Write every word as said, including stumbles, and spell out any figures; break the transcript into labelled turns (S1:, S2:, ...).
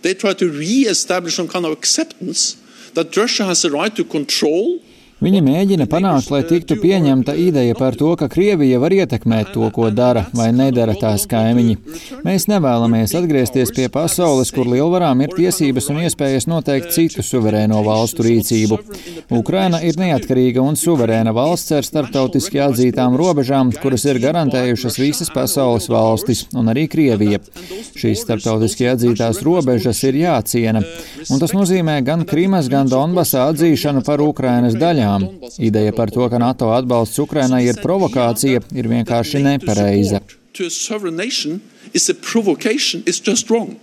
S1: they try to re-establish some kind of acceptance that Russia has the right to control.
S2: Viņi mēģina panākt, lai tiktu pieņemta ideja par to, ka Krievija var ietekmēt to, ko dara vai nedara tās kaimiņi. Mēs nevēlamies atgriezties pie pasaules, kur lielvarām ir tiesības un iespējas noteikt citu suverēno valstu rīcību. Ukraina ir neatkarīga un suverēna valsts ar starptautiski atzītām robežām, kuras ir garantējušas visas pasaules valstis un arī Krievija. Šīs starptautiski atzītās robežas ir jāciena, un tas nozīmē gan Krimas, gan Donbasa atzīšanu par Ukrainas daļām. Ideja par to, ka NATO atbalsts Ukrainai ir provokācija, ir vienkārši nepareiza.
S1: To a sovereign nation is a provocation, it's just wrong.